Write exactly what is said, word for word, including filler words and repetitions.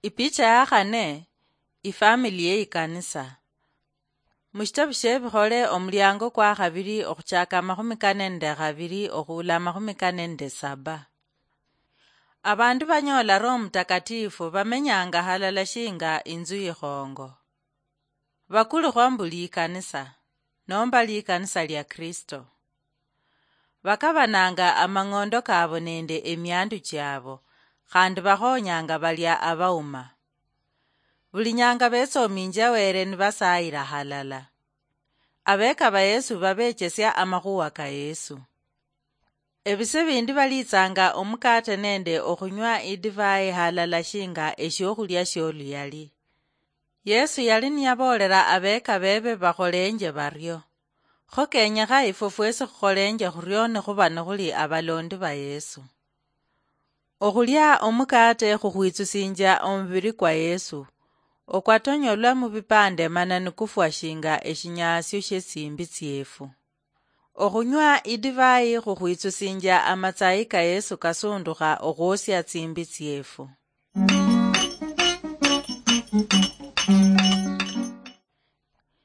Ipicha ya khane, ifamili ye ikanisa. Mushitabu shie Bikhole, omuliango kwa khabili, okhuchaka amakhumi kane nende khabili okhuula amakhumi kane nende saba. Abandu banyola Roho Mutakatifu bamenyanga halala shinga inzu ikhongo. Bakulikhwa mbu likanisa, nomba likanisa lia Kristo. Bakabananga amang'ondo kabo nende emiandu chiabo, khandi bakhonyanga balia abauma. Buli nyanga betsominjia Wele nibasayila halala. Abeka ba Yesu babechesia amakhuwa ka Yesu. Ebise bindi balitsanga omukate nende okhunywa idivai halala shinga eshiokhulia shioluyali. Yesu yali niyaboolela abeka bebe bakholenje bario. Kho kenyekha ifwe fwesi khukholenje khurio nikhuba nikhuli abalondi ba Yesu. Okhulia omukate khukhwitsusinjia omubiri kwa Yesu, okwatonyolwa mubipande mana nikufwa shinga eshinyasio shiesimbi tsiefu. Okhunywa idivai khukhwitsusinjia amatsayi ka Yesu kasundukha okhwosia tsimbi tsiefu.